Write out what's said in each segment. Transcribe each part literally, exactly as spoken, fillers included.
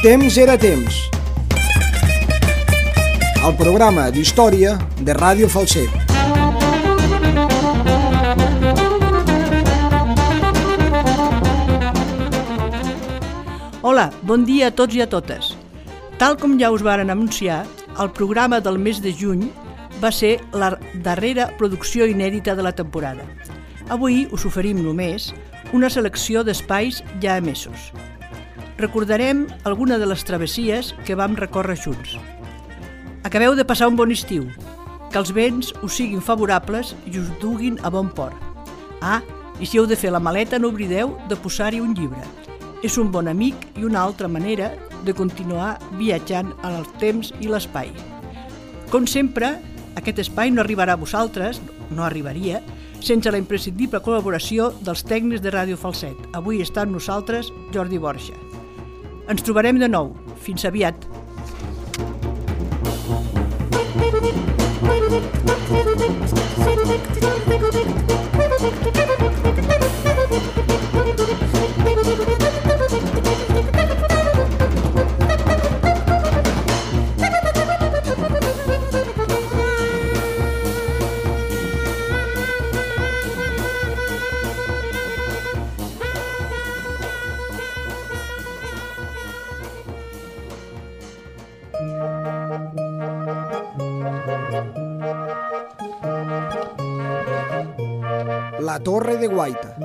Temps era temps. El programa d'història de Ràdio Falset. Hola, bon dia a tots i a totes. Tal com ja us varen anunciar, el programa del mes de juny va ser la darrera producció inèdita de la temporada. Avui us oferim només una selecció d'espais ja emesos. Recordarem alguna de les travessies que vam recórrer junts. Acabeu de passar un bon estiu, que els vents us siguin favorables i us duguin a bon port. Ah, i si heu de fer la maleta no oblideu de posar-hi un llibre. És un bon amic i una altra manera de continuar viatjant en el temps i l'espai. Com sempre, aquest espai no arribarà a vosaltres, no arribaria, sense la imprescindible col·laboració dels tècnics de Ràdio Falset. Avui està amb nosaltres Jordi Borja. Ens trobarem de nou. Fins aviat. La Torre de Guaita.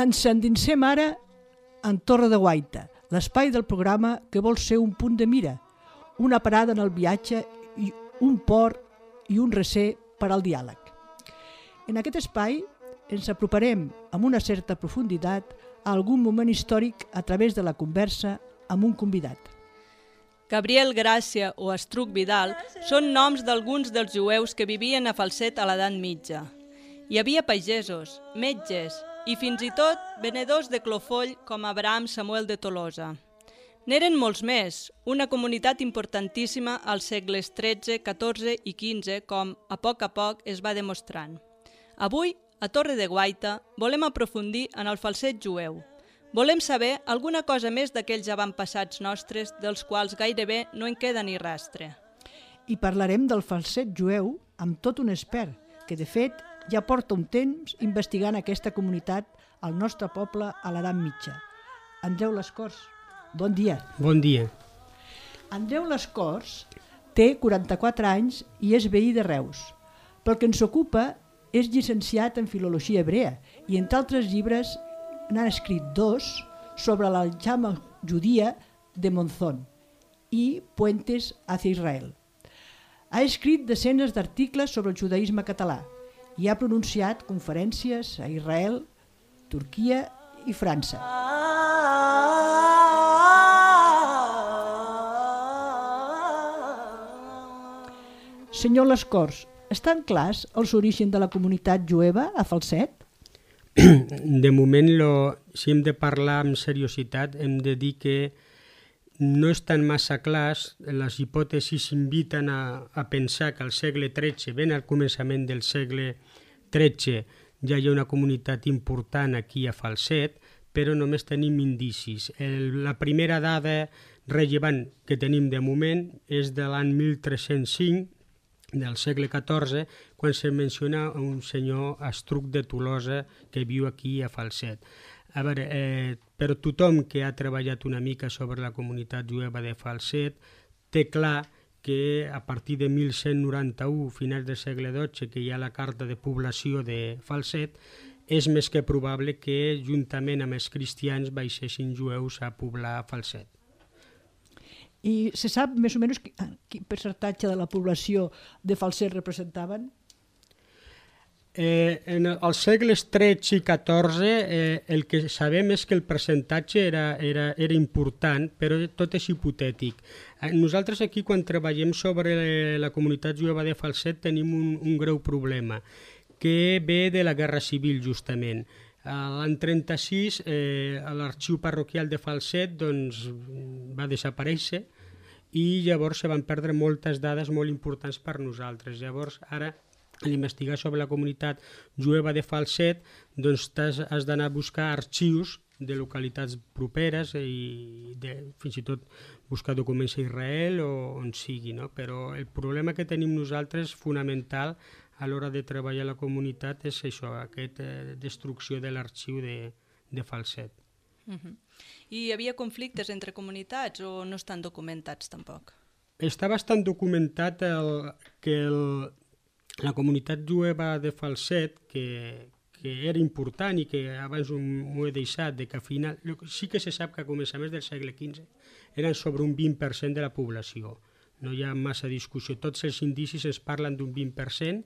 Ens endinsem ara en Torre de Guaita, l'espai del programa que vol ser un punt de mira, una parada en el viatge i un port i un recer per al diàleg. En aquest espai ens aproparem amb una certa profunditat a algun moment històric a través de la conversa amb un convidat. Gabriel Gràcia o Estruc Vidal són noms d'alguns dels jueus que vivien a Falset a l'edat mitja. Hi havia pagesos, metges i fins i tot venedors de clofoll com Abraham Samuel de Tolosa. N'eren molts més, una comunitat importantíssima als segles tretze, catorze i quinze, com a poc a poc es va demostrant. Avui, a Torre de Guaita, volem aprofundir en el Falset jueu. Volem saber alguna cosa més d'aquells avantpassats nostres, dels quals gairebé no en queda ni rastre. I parlarem del Falset jueu amb tot un expert, que de fet ja porta un temps investigant aquesta comunitat al nostre poble a l'edat mitja. Andreu Lescors, bon dia. Bon dia. Andreu Lescors té quaranta-quatre anys i és veí de Reus. Pel que ens ocupa, és llicenciat en filologia hebrea i entre altres llibres n'ha escrit dos sobre l'aljama judia de Monzón i Puentes hacia Israel. Ha escrit desenes d'articles sobre el judaïsme català i ha pronunciat conferències a Israel, Turquia i França. Senyor Lescors, estan clars els orígens de la comunitat jueva a Falset? De moment, lo, si hem de parlar amb seriositat, hem de dir que no estan massa clars. Les hipòtesis inviten a, a pensar que al segle tretze, ben al començament del segle tretze, ja hi ha una comunitat important aquí a Falset, però només tenim indicis. El, la primera dada rellevant que tenim de moment és de l'any mil tres-cents cinc, del segle catorze, quan se menciona un senyor Estruc de Tolosa que viu aquí a Falset. A veure, eh, però tothom que ha treballat una mica sobre la comunitat jueva de Falset té clar que a partir de mil cent noranta-u, finals del segle dotze, que hi ha la carta de població de Falset, és més que probable que, juntament amb els cristians, baixessin jueus a poblar Falset. I se sap més o menys quin percentatge de la població de Falset representaven? Eh, en els segles tretze i catorze eh, el que sabem és que el percentatge era, era, era important, però tot és hipotètic. Eh, nosaltres aquí, quan treballem sobre la comunitat jueva de Falset, tenim un, un greu problema, que ve de la Guerra Civil, justament. L'any trenta-sis, eh, l'arxiu parroquial de Falset doncs, va desaparèixer i llavors se van perdre moltes dades molt importants per nosaltres. Llavors, ara, a l'investigar sobre la comunitat jueva de Falset, doncs has, has d'anar a buscar arxius de localitats properes i de, fins i tot buscar documents a Israel o on sigui, no? Però el problema que tenim nosaltres fonamental a l'hora de treballar a la comunitat és això, aquesta eh, destrucció de l'arxiu de, de Falset. Uh-huh. I hi havia conflictes entre comunitats o no estan documentats tampoc? Està bastant documentat el, que el, la comunitat jueva de Falset, que, que era important i que abans m'ho he deixat, de que al final, sí que se sap que a començaments del segle quinze eren sobre un vint per cent de la població. No hi ha massa discussió, tots els indicis es parlen d'un vint per cent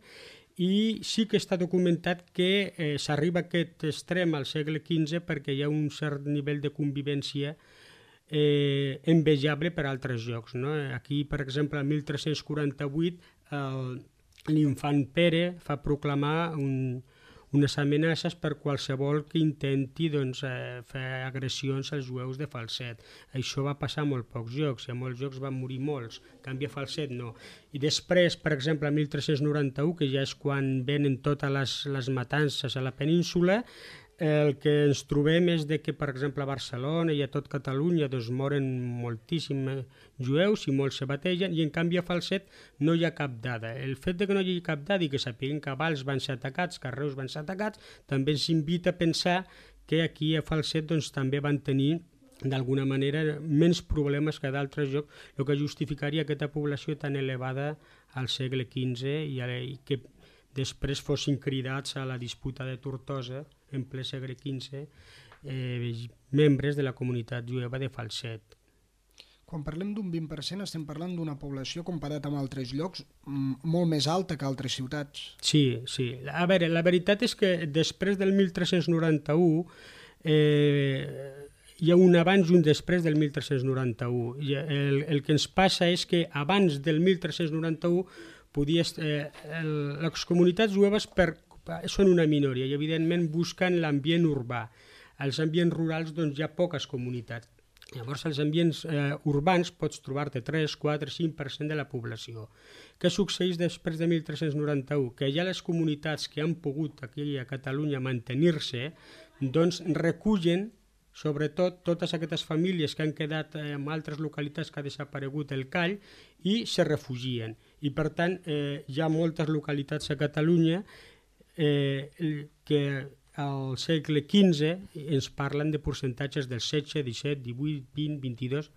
i sí que està documentat que eh, s'arriba a aquest extrem al segle quinze perquè hi ha un cert nivell de convivència eh, envejable per altres llocs, no? Aquí, per exemple, el mil tres-cents quaranta-vuit, el l'infant Pere fa proclamar un, unes amenaces per qualsevol que intenti doncs, eh, fer agressions als jueus de Falset. Això va passar a molt pocs llocs, i a molts llocs van morir molts, en canvi a Falset no. I després, per exemple, el mil tres-cents noranta-u, que ja és quan venen totes les, les matances a la península, el que ens trobem és de que, per exemple, a Barcelona i a tot Catalunya doncs, moren moltíssims jueus i molts se bategen, i en canvi a Falset no hi ha cap dada. El fet de que no hi hagi cap dada i que sapiguem que Valls van ser atacats, que Reus van ser atacats, també ens invita a pensar que aquí a Falset doncs, també van tenir d'alguna manera menys problemes que d'altres llocs, el que justificaria aquesta població tan elevada al segle quinze i, i que després fossin cridats a la disputa de Tortosa en ple segle quinze eh, membres de la comunitat jueva de Falset. Quan parlem d'un vint per cent estem parlant d'una població comparat amb altres llocs molt més alta que altres ciutats. Sí, sí. A veure, la veritat és que després del mil tres-cents noranta-u eh, hi ha un abans i un després del mil tres-cents noranta-u. El, el que ens passa és que abans del mil tres-cents noranta-u podies, eh, el, les comunitats jueves per, són una minoria i evidentment busquen l'ambient urbà. Als ambients rurals doncs, hi ha poques comunitats. Llavors als ambients eh, urbans pots trobar-te tres, quatre, cinc per cent de la població. Què succeeix després de mil tres-cents noranta-u? Que ja les comunitats que han pogut aquí a Catalunya mantenir-se doncs recullen sobretot totes aquestes famílies que han quedat en altres localitats que ha desaparegut el call i se refugien. I per tant eh, hi ha moltes localitats a Catalunya eh, que al segle quinze ens parlen de percentatges del setze, disset, divuit, vint, vint-i-dos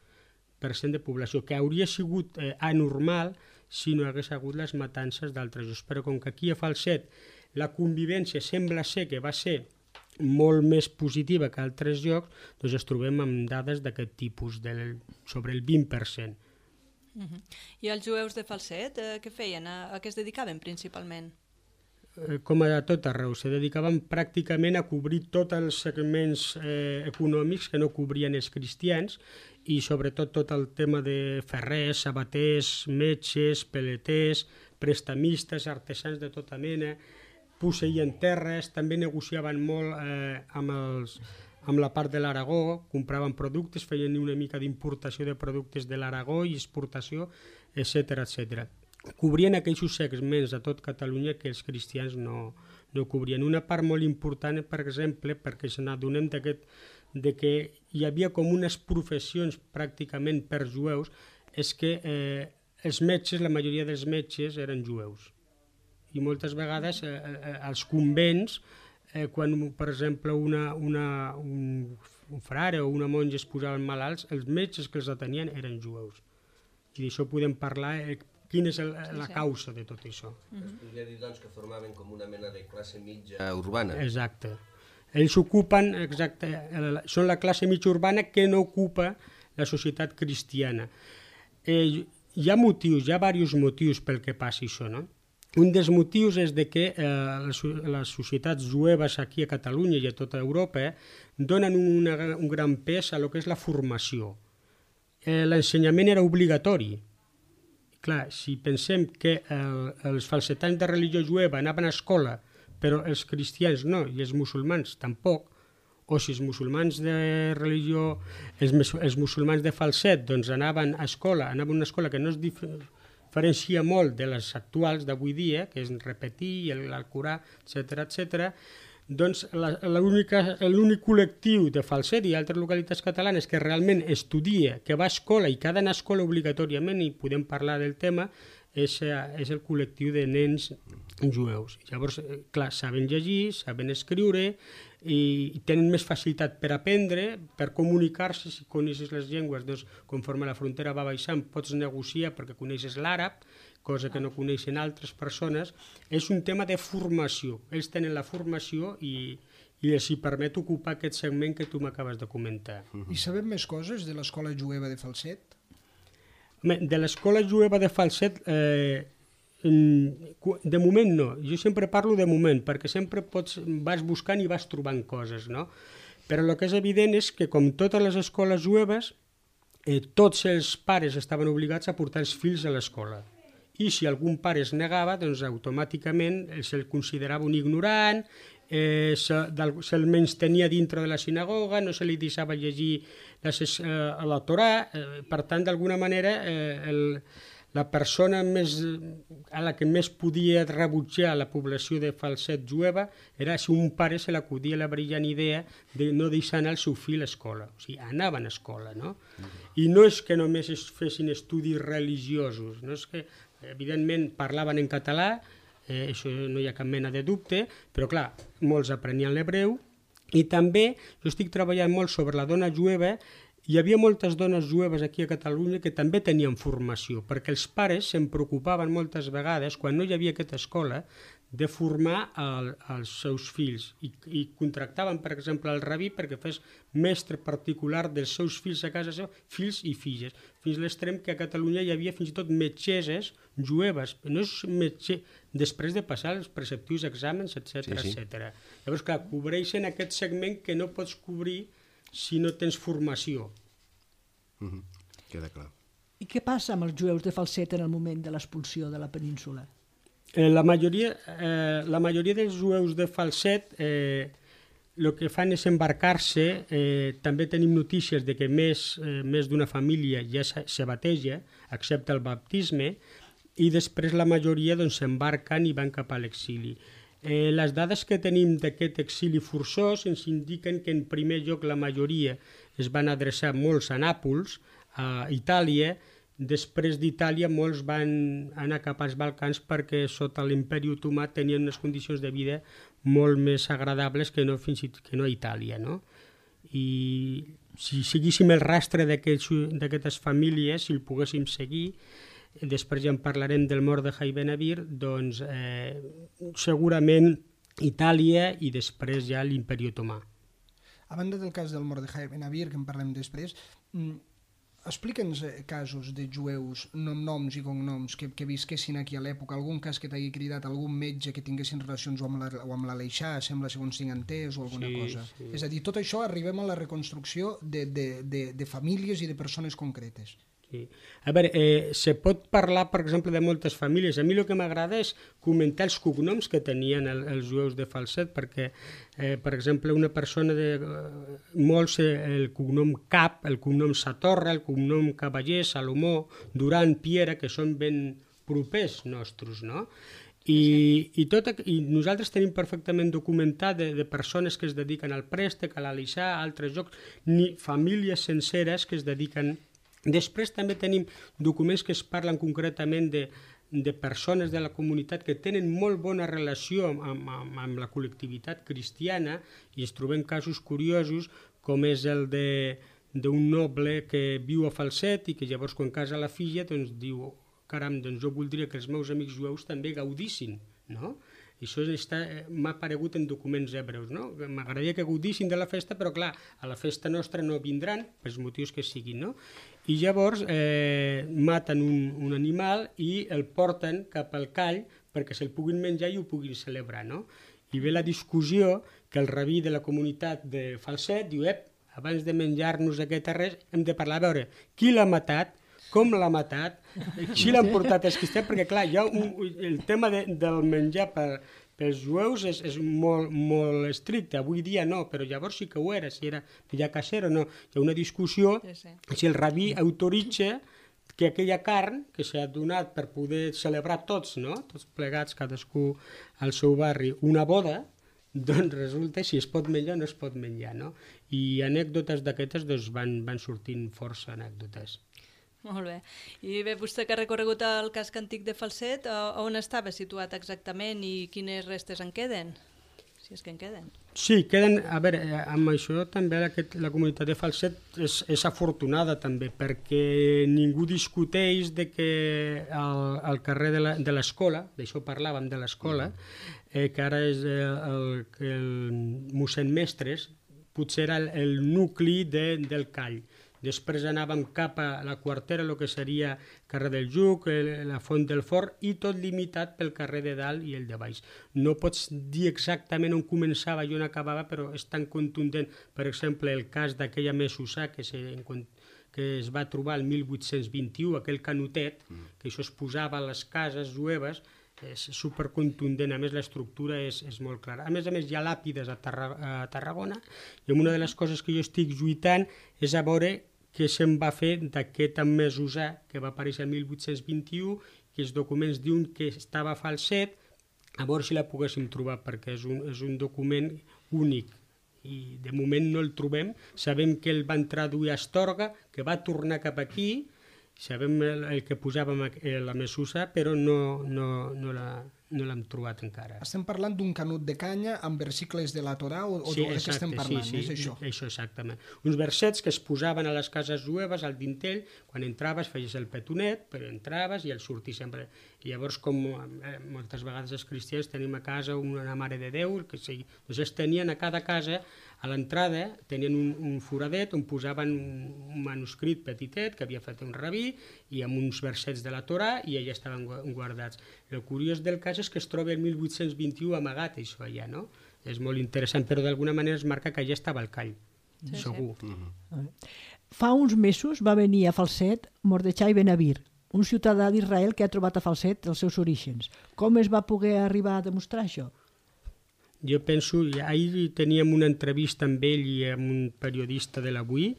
per cent de població, que hauria sigut eh, anormal si no hagués hagut les matances d'altres llocs. Però com que aquí a Falset la convivència sembla ser que va ser molt més positiva que altres llocs, doncs ens trobem amb dades d'aquest tipus, del, sobre el vint per cent. Uh-huh. I els jueus de Falset, eh, què feien? A, a què es dedicaven principalment? Eh, com a tot arreu, se dedicaven pràcticament a cobrir tots els segments eh, econòmics que no cobrien els cristians i sobretot tot el tema de ferrers, sabaters, metges, peleters, prestamistes, artesans de tota mena, posseïen terres, també negociaven molt eh, amb, els, amb la part de l'Aragó, compraven productes, feien una mica d'importació de productes de l'Aragó i exportació, etcètera, etcètera. Cobrien aquells segments a tot Catalunya que els cristians no, no cobrien. Una part molt important, per exemple, perquè se n'adonem d'aquest, de que hi havia com unes professions pràcticament per jueus, és que eh, els metges, la majoria dels metges eren jueus. I moltes vegades eh, eh, als convents, eh, quan per exemple una, una, un, un frare o una monja es posaven malalts, els metges que els atenien eren jueus. I d'això podem parlar, eh, quina és el, la causa de tot això. Es podria dir doncs, que formaven com una mena de classe mitja urbana. Exacte. Ells ocupen, exacte, són la classe mitja urbana que no ocupa la societat cristiana. Eh, hi ha motius, hi ha diversos motius pel que passi això, no? un dels motius és de que eh, les, les societats jueves aquí a Catalunya i a tota Europa eh, donen una, un gran pes a lo que és la formació. Eh, L'ensenyament era obligatori. Clar, si pensem que el, els falsetans de religió jueva anaven a escola, però els cristians no, i els musulmans tampoc, o si els musulmans de religió, els, els musulmans de falset, doncs anaven a escola, anaven a una escola que no es diferencia molt de les actuals d'avui dia, que és repetir, l'Alcorà, etcètera, etcètera, doncs l'únic col·lectiu de falset i altres localitats catalanes que realment estudia, que va a escola i que ha d'anar a escola obligatòriament, i podem parlar del tema, és, és el col·lectiu de nens jueus. Llavors, clar, saben llegir, saben escriure i tenen més facilitat per aprendre, per comunicar-se. Si coneixes les llengües, doncs, conforme la frontera va baixant, pots negociar perquè coneixes l'àrab, cosa que no coneixen altres persones. És un tema de formació. Ells tenen la formació i, i els hi permet ocupar aquest segment que tu m'acabes de comentar. I sabem més coses de l'escola jueva de Falset? De l'escola jueva de Falset, eh, de moment no. Jo sempre parlo de moment, perquè sempre pots, vas buscant i vas trobant coses, no? Però el que és evident és que, com totes les escoles jueves, eh, tots els pares estaven obligats a portar els fills a l'escola. I si algun pare es negava, doncs automàticament se'l considerava un ignorant, eh, se'l se menystenia dintre de la sinagoga, no se li deixava llegir les, eh, a la Torà, eh, per tant, d'alguna manera, eh, el, la persona més, a la que més podia rebutjar la població de Falset jueva era si un pare se l'acudia la brillant idea de no deixar anar el seu fill a escola. O sigui, anaven a escola, no? I no és que només es fessin estudis religiosos, no és que, evidentment, parlaven en català, eh, això no hi ha cap mena de dubte, però clar, molts aprenien l'hebreu, i també jo estic treballant molt sobre la dona jueva. Hi havia moltes dones jueves aquí a Catalunya que també tenien formació, perquè els pares se'n preocupaven moltes vegades, quan no hi havia aquesta escola, de formar el, els seus fills. I, i contractaven, per exemple, el rabí perquè fes mestre particular dels seus fills a casa seva, fills i filles, fins a l'extrem que a Catalunya hi havia fins i tot metgesses jueves, no és metge, després de passar els preceptius exàmens, etcètera, sí, sí. etcètera. Llavors, clar, cobreixen aquest segment que no pots cobrir si no tens formació. Mm-hmm. Queda clar. I què passa amb els jueus de Falset en el moment de l'expulsió de la península? Eh, la, majoria, eh, la majoria dels jueus de Falset eh, el que fan és embarcar-se. Eh, també tenim notícies de que més, eh, més d'una família ja se, se bateja, accepta el baptisme, i després la majoria doncs, s'embarquen i van cap a l'exili. Eh, les dades que tenim d'aquest exili forçós ens indiquen que en primer lloc la majoria es van adreçar molts a Nàpols, a Itàlia. Després d'Itàlia molts van anar cap als Balcans perquè sota l'imperi otomà tenien unes condicions de vida molt més agradables que no, fins i tot, que no a Itàlia, no? I si seguíssim el rastre d'aquestes famílies, si el poguéssim seguir, després ja en parlarem del Mordejai ben Avir, doncs eh, segurament Itàlia i després ja l'imperi otomà. A banda del cas del Mordejai ben Avir, que en parlem després, explica'ns casos de jueus, nom, noms i cognoms que, que visquessin aquí a l'època, algun cas que t'hagi cridat, algun metge que tinguessin relacions o amb, la, o amb l'Aleixà, sembla segons tinc entès, o alguna sí, cosa. Sí. És a dir, tot això arribem a la reconstrucció de, de, de, de famílies i de persones concretes. Sí. A veure, eh, se pot parlar, per exemple, de moltes famílies. A mi el que m'agrada és comentar els cognoms que tenien el, els jueus de Falset, perquè, eh, per exemple, una persona de eh, molts, eh, el cognom Cap, el cognom Satorra, el cognom Cavaller, Salomó, Duran, Piera, que són ben propers nostres, no? I, i, tot, i nosaltres tenim perfectament documentat de, de persones que es dediquen al préstec, a l'Aleixà, a altres jocs, ni famílies senceres que es dediquen. Després també tenim documents que es parlen concretament de, de persones de la comunitat que tenen molt bona relació amb, amb, amb la col·lectivitat cristiana, i es trobem casos curiosos com és el d'un noble que viu a Falset i que llavors quan casa la filla doncs diu, caram, doncs jo voldria que els meus amics jueus també gaudissin, no? I això m'ha aparegut en documents hebreus, no? M'agradaria que gaudissin de la festa, però clar, a la festa nostra no vindran, pels motius que siguin, no? I llavors eh, maten un, un animal i el porten cap al call perquè se'l puguin menjar i ho puguin celebrar, no? I ve la discussió que el rabí de la comunitat de Falset diu, ep, abans de menjar-nos aquest res, hem de parlar, a veure, qui l'ha matat, com l'ha matat, si l'han portat als cristians, perquè clar, hi ha un, el tema de, del menjar per, pels jueus és, és molt, molt estricte, avui dia no, però llavors sí que ho era, si era ja caser o no. Hi ha una discussió sí, sí. si el rabí autoritza que aquella carn que s'ha donat per poder celebrar tots, no? Tots plegats, cadascú al seu barri, una boda, doncs resulta si es pot menjar o no es pot menjar, no? I anècdotes d'aquestes doncs, van, van sortint força anècdotes. Molt bé. I bé, vostè que ha recorregut el casc antic de Falset, on estava situat exactament i quines restes en queden? Si és que en queden. Sí, queden, a veure, amb això també la, la comunitat de Falset és, és afortunada també, perquè ningú discuteix de que al carrer de l'escola, d'això parlàvem de l'escola, eh, que ara és el, el, el mossèn Mestres, potser era el, el nucli de, del Call. Després anàvem cap a la quartera, el que seria carrer del Juc, la Font del Fort, i tot limitat pel carrer de dalt i el de baix. No pots dir exactament on començava i on acabava, però és tan contundent. Per exemple, el cas d'aquella mesussà que, se, que es va trobar el mil vuit-cents vint-i-u, aquell canotet, que això es posava a les cases jueves, és supercontundent, a més l'estructura és, és molt clara. A més a més hi ha làpides a, Tarra, a Tarragona, i una de les coses que jo estic lluitant és a veure què se'n va fer d'aquest mesussà que va aparèixer el mil vuit-cents vint-i-u, que els documents diuen que estava a Falset, a veure si la poguéssim trobar, perquè és un, és un document únic i de moment no el trobem. Sabem que el van traduir a Astorga, que va tornar cap aquí, sabem el, el que posàvem a la mesussa, però no, no, no la... no l'hem trobat encara. Estem parlant d'un canut de canya amb versicles de la Torà o, o sí, de què estem parlant? Sí, sí, és això? Això exactament. Uns versets que es posaven a les cases jueves, al dintell, quan entraves feies el petonet, però entraves i el sortir sempre. I llavors, com eh, moltes vegades els cristians tenim a casa una Mare de Déu, que sí, doncs es tenien a cada casa, a l'entrada tenien un, un foradet on posaven un, un manuscrit petitet que havia fet un rabí i amb uns versets de la Torà i allà estaven guardats. El curiós del cas és que es troba el mil vuit-cents vint-i-u amagat això allà, no? És molt interessant, però d'alguna manera es marca que allà estava el Call, sí, segur. Sí. Mm-hmm. Fa uns mesos va venir a Falset Mordechai Ben Avir, un ciutadà d'Israel que ha trobat a Falset els seus orígens. Com es va poder arribar a demostrar això? Jo penso, ahir teníem una entrevista amb ell i amb un periodista de l'Avui,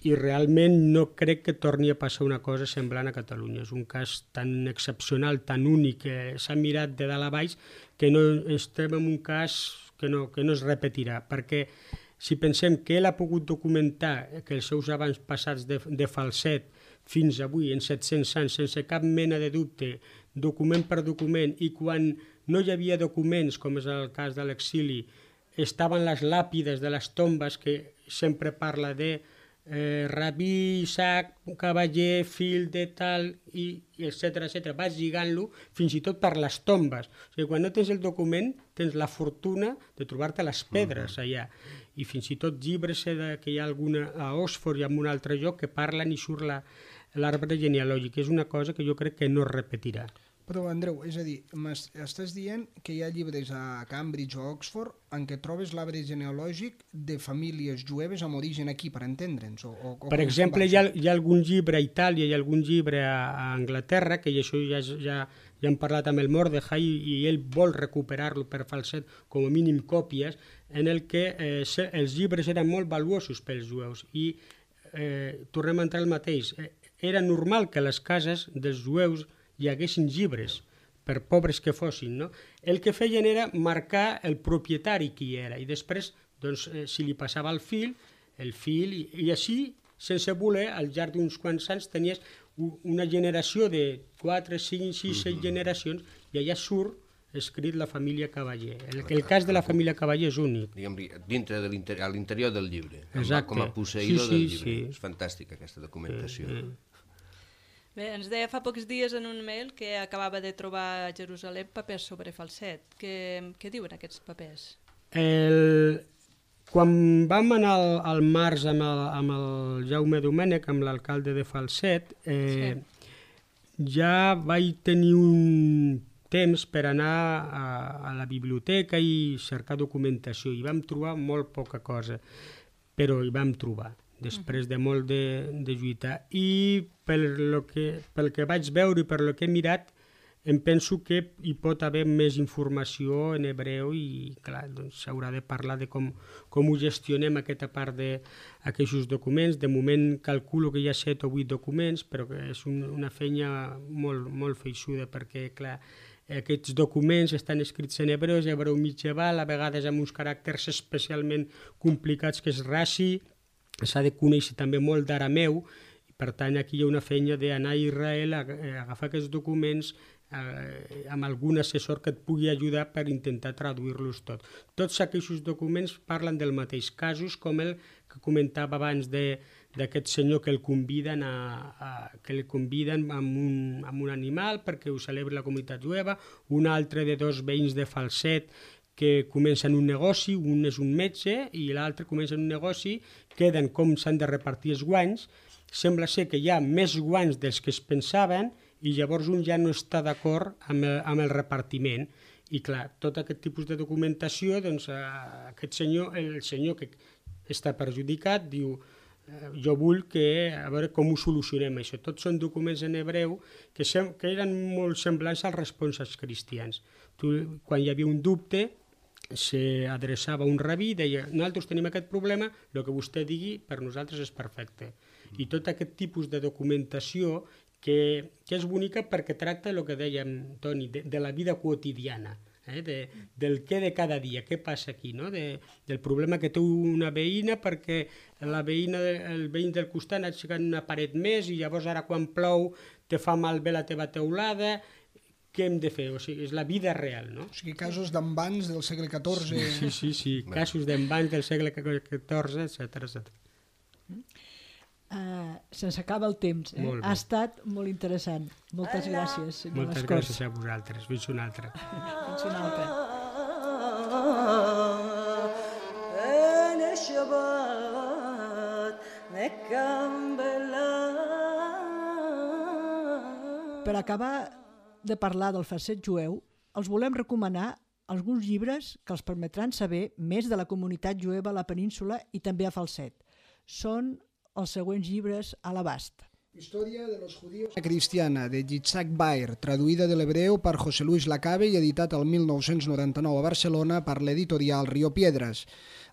i realment no crec que torni a passar una cosa semblant a Catalunya. És un cas tan excepcional, tan únic, que s'ha mirat de dalt a baix, que no estem en un cas que no, que no es repetirà, perquè si pensem que ell ha pogut documentar que els seus abans passats de, de Falset fins avui en set-cents anys, sense cap mena de dubte, document per document, i quan no hi havia documents, com és el cas de l'exili, estaven les làpides de les tombes que sempre parla de Eh, rabí, Isaac, cavaller, fill de tal, i, i etcètera, etcètera. Vas lligant-lo fins i tot per les tombes. O sigui, quan no tens el document, tens la fortuna de trobar-te les pedres allà. I fins i tot llibres de, que hi ha alguna a Oxford i en un altre lloc que parlen i surt l'arbre genealògic. És una cosa que jo crec que no es repetirà. Però, Andreu, és a dir, m'estàs dient que hi ha llibres a Cambridge o Oxford en què trobes l'arbre genealògic de famílies jueves amb origen aquí, per entendre'ns? O, o, per exemple, hi ha, hi ha algun llibre a Itàlia i algun llibre a, a Anglaterra, que això ja, ja, ja hem parlat amb el Mordechai i, i ell vol recuperar-lo per Falset, com a mínim còpies, en el que eh, els llibres eren molt valuosos pels jueus. I eh, tornem a entrar al mateix. Eh, era normal que a les cases dels jueus hi haguessin llibres, per pobres que fossin, no? El que feien era marcar el propietari qui era, i després, doncs, eh, si li passava el fill, el fill, i, i així, sense voler, al llarg d'uns quants anys tenies una generació de quatre, cinc, sis, set generacions, i allà surt escrit la família Cavaller. El, el cas de la família Cavaller és únic. Diguem, dintre de l'interior, a l'interior del llibre, exacte, com a posseïdor sí, sí, del llibre. Sí. És fantàstica aquesta documentació. Sí, sí. Bé, ens deia fa pocs dies en un mail que acabava de trobar a Jerusalem papers sobre Falset. Què, què diuen aquests papers? El... Quan vam anar al, al març amb el, amb el Jaume Domènech, amb l'alcalde de Falset, eh, sí. ja vaig tenir un temps per anar a, a la biblioteca i cercar documentació. I vam trobar molt poca cosa, però hi vam trobar, després de molt de, de lluitar. I pel, lo que, pel que vaig veure i per lo que he mirat, em penso que hi pot haver més informació en hebreu i, clar, doncs s'haurà de parlar de com, com ho gestionem aquesta part d'aquests documents. De moment calculo que hi ha set o vuit documents, però que és un, una feina molt, molt feixuda, perquè, clar, aquests documents estan escrits en hebreu, hebreu mitjaval, a vegades amb uns caràcters especialment complicats, que és Rashi, s'ha de conèixer també molt d'arameu, i per tant aquí hi ha una feina d'anar a Israel a, a agafar aquests documents eh, amb algun assessor que et pugui ajudar per intentar traduir-los tot. Tots aquests documents parlen del mateix, casos com el que comentava abans de, d'aquest senyor que el conviden, a, a, que el conviden amb, un, amb un animal perquè ho celebri la comunitat jueva, un altre de dos veïns de Falset que comencen un negoci, un és un metge i l'altre comença un negoci, queden com s'han de repartir els guanys, sembla ser que hi ha més guanys dels que es pensaven i llavors un ja no està d'acord amb, el, amb el repartiment. I clar, tot aquest tipus de documentació, doncs eh, aquest senyor, el senyor que està perjudicat diu eh, jo vull que, a veure com ho solucionem això. Tots són documents en hebreu que, sem que eren molt semblants als responsos cristians. Tu, quan hi havia un dubte, s'adreçava a un rabí i deia nosaltres tenim aquest problema, el que vostè digui per nosaltres és perfecte. I tot aquest tipus de documentació que, que és bonica perquè tracta el que dèiem, Toni, de, de la vida quotidiana, eh? de, del què de cada dia, què passa aquí, no? de, del problema que té una veïna perquè la veïna, el veïn del costat ha aixecat una paret més i llavors ara quan plou te fa malbé la teva teulada. Què hem de fer? O sigui, és la vida real, no? O sigui, casos d'embans del segle catorze... Sí, sí, sí, casos d'embans del segle catorze, etcètera, etcètera. Uh, se'ns acaba el temps. Eh? Ha estat molt interessant. Moltes gràcies, senyor Moltes Mascors. gràcies a vosaltres. Fins una altra. Fins una altra. Per acabar de parlar del falset jueu, els volem recomanar alguns llibres que els permetran saber més de la comunitat jueva a la península i també a Falset. Són els següents llibres a l'abast. Història de los judíos cristiana, de Yitzhak Baer, traduïda de l'hebreu per José Luis Lacabe i editat el mil nou-cents noranta-nou a Barcelona per l'editorial Rio Piedras.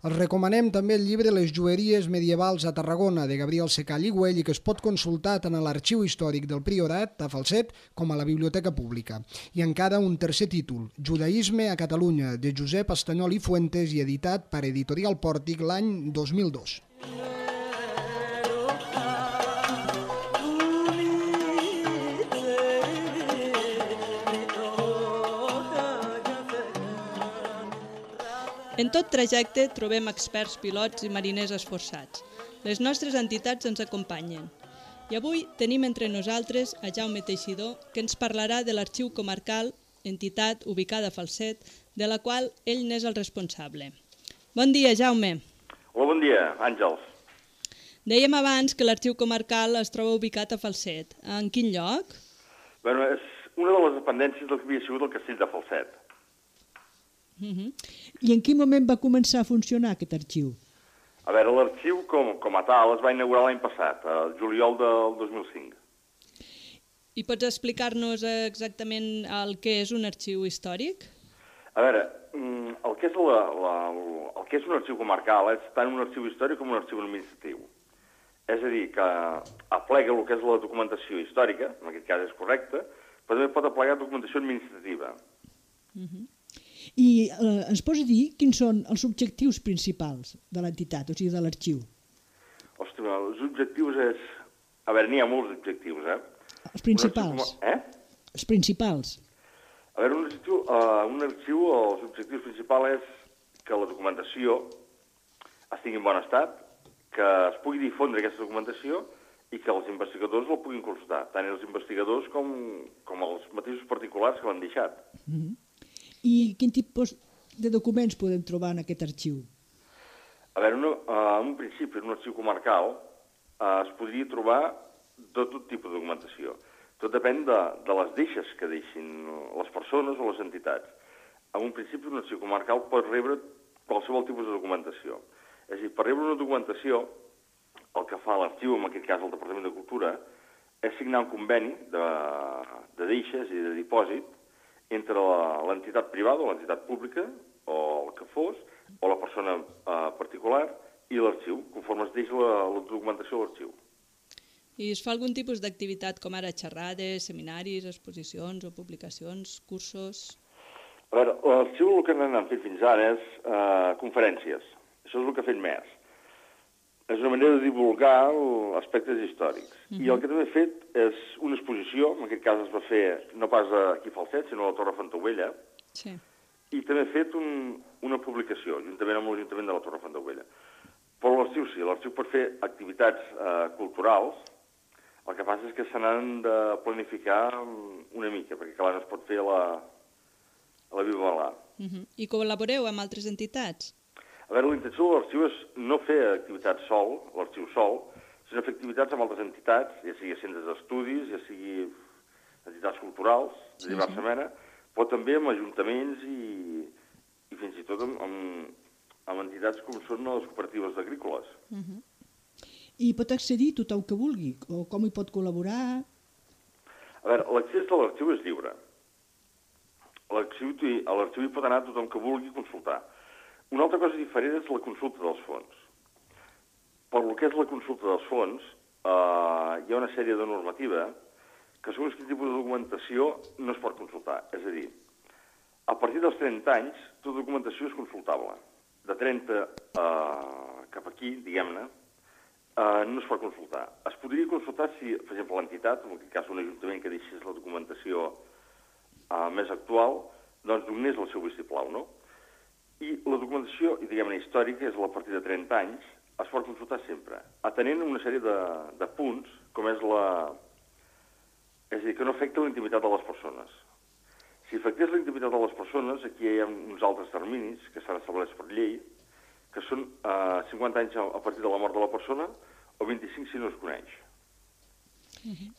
Els recomanem també el llibre Les jueries medievals a Tarragona, de Gabriel Secall i Güell, i que es pot consultar tant a l'Arxiu Històric del Priorat, a Falset, com a la Biblioteca Pública. I encara un tercer títol, Judaïsme a Catalunya, de Josep Estanyol i Fuentes i editat per Editorial Pòrtic l'any dos mil dos. En tot trajecte trobem experts pilots i mariners esforçats. Les nostres entitats ens acompanyen. I avui tenim entre nosaltres a Jaume Teixidor, que ens parlarà de l'Arxiu Comarcal, entitat ubicada a Falset, de la qual ell n'és el responsable. Bon dia, Jaume. Hola, bon dia, Àngels. Dèiem abans que l'Arxiu Comarcal es troba ubicat a Falset. En quin lloc? Bueno, és una de les dependències del que havia sigut el castell de Falset. Uh-huh. I en quin moment va començar a funcionar aquest arxiu? A veure, l'arxiu com, com a tal es va inaugurar l'any passat, el juliol del dos mil cinc. I pots explicar-nos exactament el que és un arxiu històric? A veure, el que és, la, la, el que és un arxiu comarcal és tant un arxiu històric com un arxiu administratiu. És a dir, que aplega el que és la documentació històrica, en aquest cas és correcte, però també pot aplegar documentació administrativa. Uh-huh. I eh, ens pots dir quins són els objectius principals de l'entitat, o sigui, de l'arxiu? Ostres, els objectius és... A veure, n'hi ha molts objectius, eh? Els principals. Com... Eh? Els principals. A veure, un arxiu, uh, un arxiu, els objectius principals és que la documentació estigui en bon estat, que es pugui difondre aquesta documentació i que els investigadors la puguin consultar, tant els investigadors com, com els mateixos particulars que l'han deixat. Mm-hmm. I quin tipus de documents podem trobar en aquest arxiu? A veure, una, uh, en un principi, en un arxiu comarcal, uh, es podria trobar de tot tipus de documentació. Tot depèn de, de les deixes que deixin les persones o les entitats. En un principi, un arxiu comarcal pot rebre qualsevol tipus de documentació. És a dir, per rebre una documentació, el que fa l'arxiu, en aquest cas el Departament de Cultura, és signar un conveni de, de deixes i de dipòsit entre l'entitat privada o l'entitat pública, o el que fos, o la persona eh, particular, i l'arxiu, conforme es deixa la, la documentació a l'arxiu. I es fa algun tipus d'activitat com ara xerrades, seminaris, exposicions o publicacions, cursos? A veure, l'arxiu el que han fet fins ara és eh, conferències. Això és el que ha fet més. És una manera de divulgar aspectes històrics. Uh-huh. I el que també ha fet és una exposició, en aquest cas es va fer no pas aquí a Falset, sinó a la Torre Fontaubella, sí. I també ha fet un, una publicació, juntament amb l'Ajuntament de la Torre Fontaubella. Però l'arxiu sí, l'arxiu pot fer activitats eh, culturals, el que passa és que se n'han de planificar una mica, perquè clar, no es pot fer a la, a la viva balà. Uh-huh. I col·laboreu amb altres entitats? A veure, la intenció de l'arxiu és no fer activitats sol, l'arxiu sol, sinó fer activitats amb altres entitats, ja sigui centres d'estudis, ja sigui entitats culturals, de sí, diversa sí. mena, però també amb ajuntaments i, i fins i tot amb, amb, amb entitats com són les cooperatives agrícoles. Uh-huh. I pot accedir tothom que vulgui, o com hi pot col·laborar? A veure, l'accés a l'arxiu és lliure. A l'arxiu hi pot anar tothom que vulgui consultar. Una altra cosa diferent és la consulta dels fons. Per lo que és la consulta dels fons, eh, hi ha una sèrie de normativa que segons quin tipus de documentació no es pot consultar. És a dir, a partir dels trenta anys, tota documentació és consultable. De trenta eh, cap aquí, diguem-ne, eh, no es pot consultar. Es podria consultar si, per exemple, l'entitat, en aquest cas un ajuntament que deixés la documentació eh, més actual, doncs donés el seu vistiplau, no? I la documentació, diguem-ne, històrica, és a partir de trenta anys, es pot consultar sempre, atenent una sèrie de, de punts, com és la... És a dir, que no afecta la intimitat de les persones. Si afectés la intimitat de les persones, aquí hi ha uns altres terminis que s'han establert per llei, que són eh, cinquanta anys a partir de la mort de la persona o vint-i-cinc si no es coneix.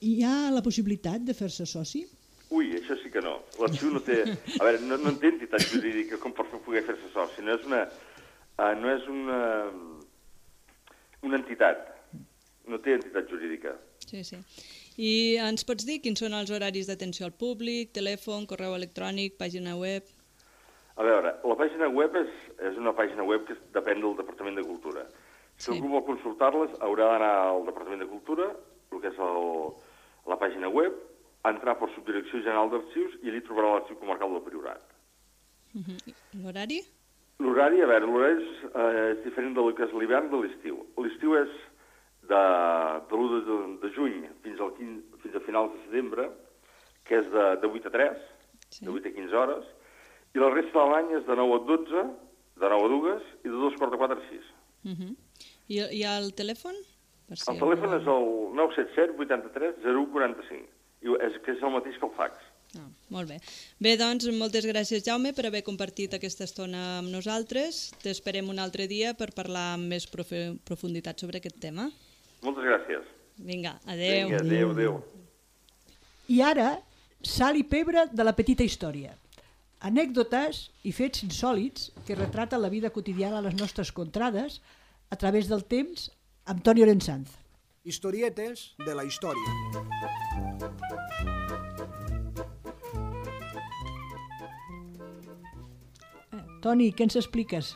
Hi ha la possibilitat de fer-se soci? Ui, això sí que no. L'arxiu no té... A veure, no, no en té entitat jurídica com per poder fer-se soci. No és una... Uh, no és una... una entitat. No té entitat jurídica. Sí, sí. I ens pots dir quins són els horaris d'atenció al públic, telèfon, correu electrònic, pàgina web? A veure, la pàgina web és, és una pàgina web que depèn del Departament de Cultura. Si sí. algú vol consultar-les, haurà d'anar al Departament de Cultura, el que és el, la pàgina web, entrar per Subdirecció General d'Arxius i allí trobarà l'Arxiu Comarcal del Priorat. Uh-huh. L'horari? L'horari, a veure, l'horari és, eh, és diferent del que és l'hivern de l'estiu. L'estiu és de, de l'u de, de juny fins, al quinze, fins a finals de setembre, que és de, de vuit a tres, sí. de vuit a quinze hores, i la resta de l'any és de nou a dotze, de nou a dues i de dos quarts de quatre a sis. Uh-huh. I, I el telèfon? Per si el telèfon és el nou set set vuitanta-tres zero u quaranta-cinc. I és, que és el mateix que el fax. Ah, molt bé. Bé, doncs, moltes gràcies, Jaume, per haver compartit aquesta estona amb nosaltres. T'esperem un altre dia per parlar amb més profunditat sobre aquest tema. Moltes gràcies. Vinga, adeu. Vinga, adeu, adeu. I ara, sal i pebre de la petita història. Anècdotes i fets insòlits que retraten la vida quotidiana a les nostres contrades a través del temps amb Toni Orensanz. Historietes de la història. Eh, Toni, què ens expliques?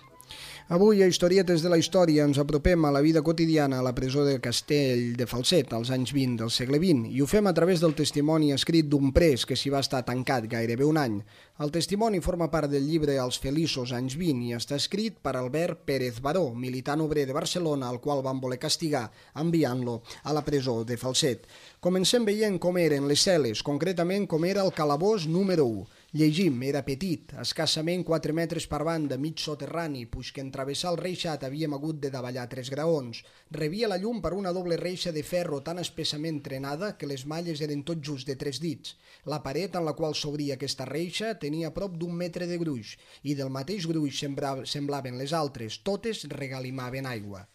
Avui, a Historietes de la història, ens apropem a la vida quotidiana a la presó del Castell de Falset, als anys vint del segle vint, i ho fem a través del testimoni escrit d'un pres que s'hi va estar tancat gairebé un any. El testimoni forma part del llibre Els feliços anys vint i està escrit per Albert Pérez Baró, militant obrer de Barcelona, al qual van voler castigar enviant-lo a la presó de Falset. Comencem veient com eren les cel·les, concretament com era el calabós número u. Llegim, era petit, escassament quatre metres per banda, mig soterrani, puix que en travessar el reixat havíem hagut de davallar tres graons. Rebia la llum per una doble reixa de ferro tan espessament trenada que les malles eren tot just de tres dits. La paret en la qual s'obria aquesta reixa tenia prop d'un metre de gruix i del mateix gruix semblaven les altres, totes regalimaven aigua.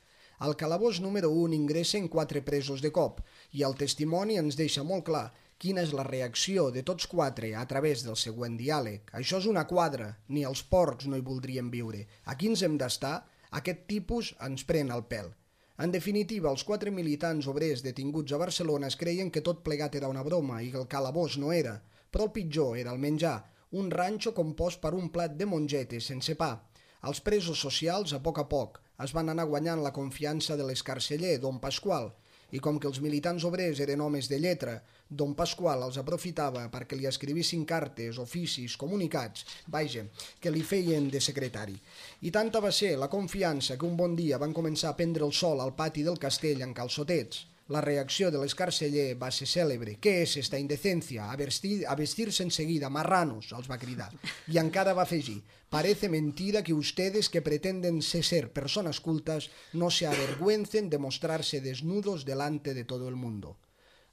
Al calabós número un ingressen quatre presos de cop i el testimoni ens deixa molt clar quina és la reacció de tots quatre a través del següent diàleg. Això és una quadra, ni els porcs no hi voldrien viure. Aquí ens hem d'estar, aquest tipus ens pren el pèl. En definitiva, els quatre militants obrers detinguts a Barcelona es creien que tot plegat era una broma i que el calabós no era, però el pitjor era el menjar, un ranxo compost per un plat de mongetes sense pa. Els presos socials, a poc a poc, es van anar guanyant la confiança de l'escarceller, don Pasqual, i com que els militants obrers eren homes de lletra, don Pasqual els aprofitava perquè li escrivissin cartes, oficis, comunicats, vaja, que li feien de secretari. I tanta va ser la confiança que un bon dia van començar a prendre el sol al pati del castell en calçotets. La reacció de l'escarceller va ser cèlebre. «Què és esta indecencia? A vestir, a vestir-se enseguida, marranos», els va cridar. I encara va afegir: «Parece mentira que ustedes que pretenden ser personas cultas no se avergüencen de mostrarse desnudos delante de todo el mundo».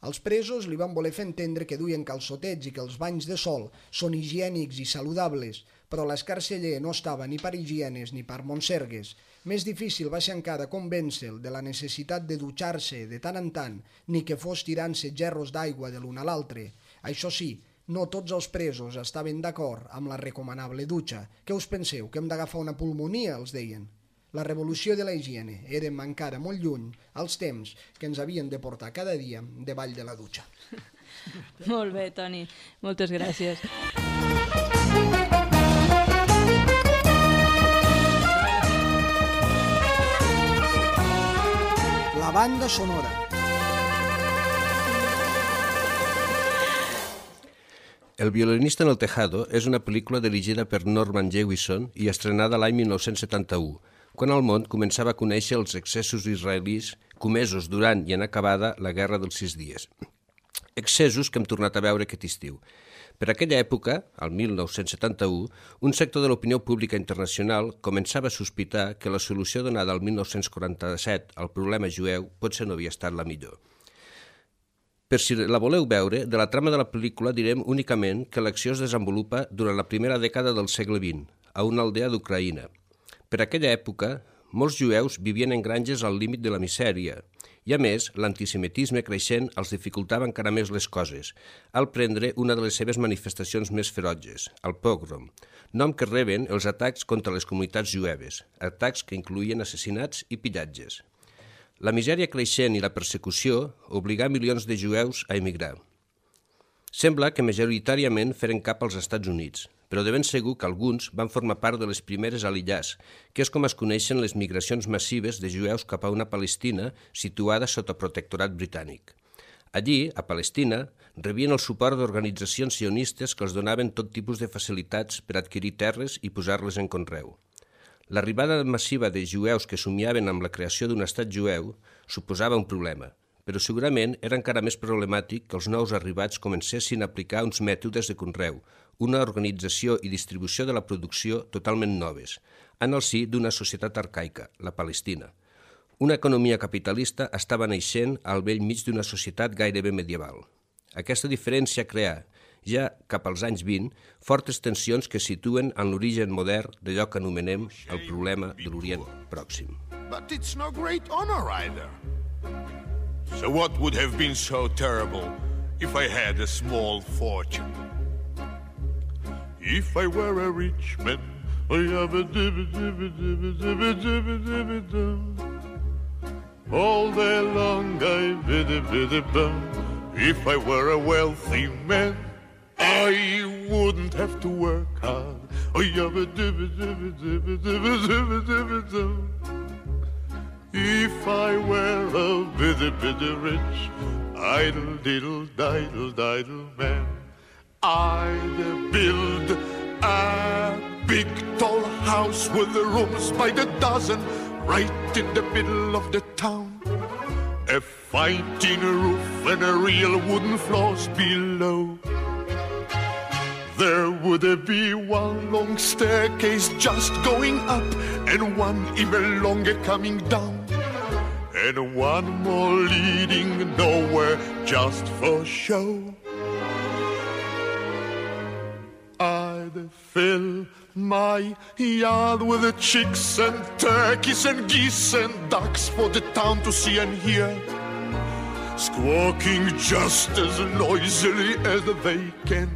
Els presos li van voler fer entendre que duien calçotets i que els banys de sol són higiènics i saludables, però l'escarceller no estava ni per higienes ni per monsergues. Més difícil va ser encara convèncer-lo de la necessitat de dutxar-se de tant en tant, ni que fos tirant-se gerros d'aigua de l'un a l'altre. Això sí, no tots els presos estaven d'acord amb la recomanable dutxa. Què us penseu, que hem d'agafar una pulmonia, els deien? La revolució de la higiene. Érem encara molt lluny als temps que ens havien de portar cada dia davall de la dutxa. Molt bé, Toni. Moltes gràcies. La banda sonora. El violinista en el tejado és una pel·lícula dirigida per Norman Jewison i estrenada l'any mil nou-cents setanta-u, quan el món començava a conèixer els excessos israelis comesos durant i en acabada la Guerra dels Sis Dies. Excessos que hem tornat a veure aquest estiu. Per aquella època, al mil nou-cents setanta-u, un sector de l'opinió pública internacional començava a sospitar que la solució donada al mil nou-cents quaranta-set al problema jueu potser no havia estat la millor. Per si la voleu veure, de la trama de la pel·lícula direm únicament que l'acció es desenvolupa durant la primera dècada del segle vint, a una aldea d'Ucraïna. Per aquella època, molts jueus vivien en granges al límit de la misèria i, a més, l'antisemitisme creixent els dificultava encara més les coses, al prendre una de les seves manifestacions més ferotges, el pogrom, nom que reben els atacs contra les comunitats jueves, atacs que incloïen assassinats i pillatges. La misèria creixent i la persecució obligà milions de jueus a emigrar. Sembla que majoritàriament feren cap als Estats Units, però de ben segur que alguns van formar part de les primeres a l'Illàs, que és com es coneixen les migracions massives de jueus cap a una Palestina situada sota protectorat britànic. Allí, a Palestina, rebien el suport d'organitzacions sionistes que els donaven tot tipus de facilitats per adquirir terres i posar-les en conreu. L'arribada massiva de jueus que somiaven amb la creació d'un estat jueu suposava un problema, però segurament era encara més problemàtic que els nous arribats comencessin a aplicar uns mètodes de conreu, una organització i distribució de la producció totalment noves, en el si d'una societat arcaica, la Palestina. Una economia capitalista estava naixent al bell mig d'una societat gairebé medieval. Aquesta diferència crea, ja cap als anys vint, fortes tensions que situen en l'origen modern d'allò que anomenem el problema de l'Orient Pròxim. But it's no great honor either. So what would have been so terrible if I had a small fortune? If I were a rich man, I have a dibba dibba dibba dibba dibba dibba dum. All day long I bidda bidda bum. If I were a wealthy man, I wouldn't have to work hard. I have a dibba dibba dibba dibba dibba dibba dum. If I were a bidda bidda rich, idle diddle diddle diddle man, I'd build a big tall house with the rooms by the dozen right in the middle of the town. A fine tin roof and a real wooden floors below. There would be one long staircase just going up and one even longer coming down, and one more leading nowhere just for show. I'd fill my yard with the chicks and turkeys and geese and ducks for the town to see and hear. squawking just as noisily as they can.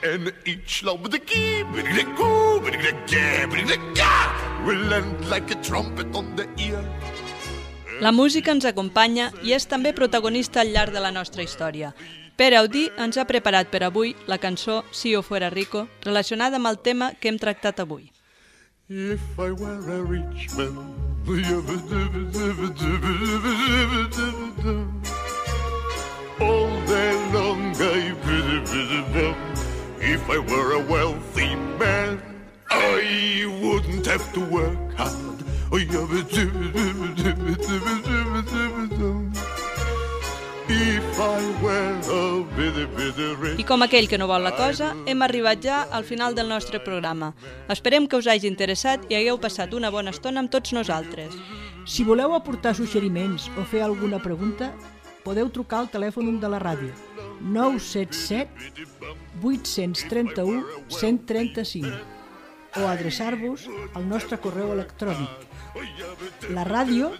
And each love with the key, biddy-da-goo, biddy-da-ga, biddy-da-ga, will land like a trumpet on the ear. La música ens acompanya i és també protagonista al llarg de la nostra història. Pere Audí ens ha preparat per avui la cançó Si yo fuera rico, relacionada amb el tema que hem tractat avui. If I were a rich man, all day long I biddy-biddy-bum. If I were a wealthy man, I wouldn't have to work hard. If I were a bitty, bitty rich. I com aquell que no vol la cosa, hem arribat ja al final del nostre programa. Esperem que us hagi interessat i hagueu passat una bona estona amb tots nosaltres. Si voleu aportar suggeriments o fer alguna pregunta, podeu trucar al telèfon de la ràdio nou set set vuit tres u cent trenta-cinc o adreçar-vos al nostre correu electrònic la ràdio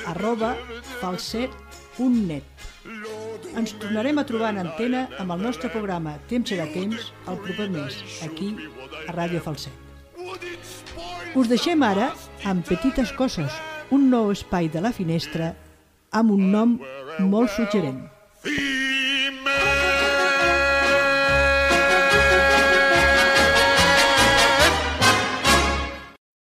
arroba falset punt net. Ens tornarem a trobar en antena amb el nostre programa Temps serà temps el proper mes, aquí a Ràdio Falset. Us deixem ara amb Petites coses, un nou espai de la finestra amb un nom molt suggerent.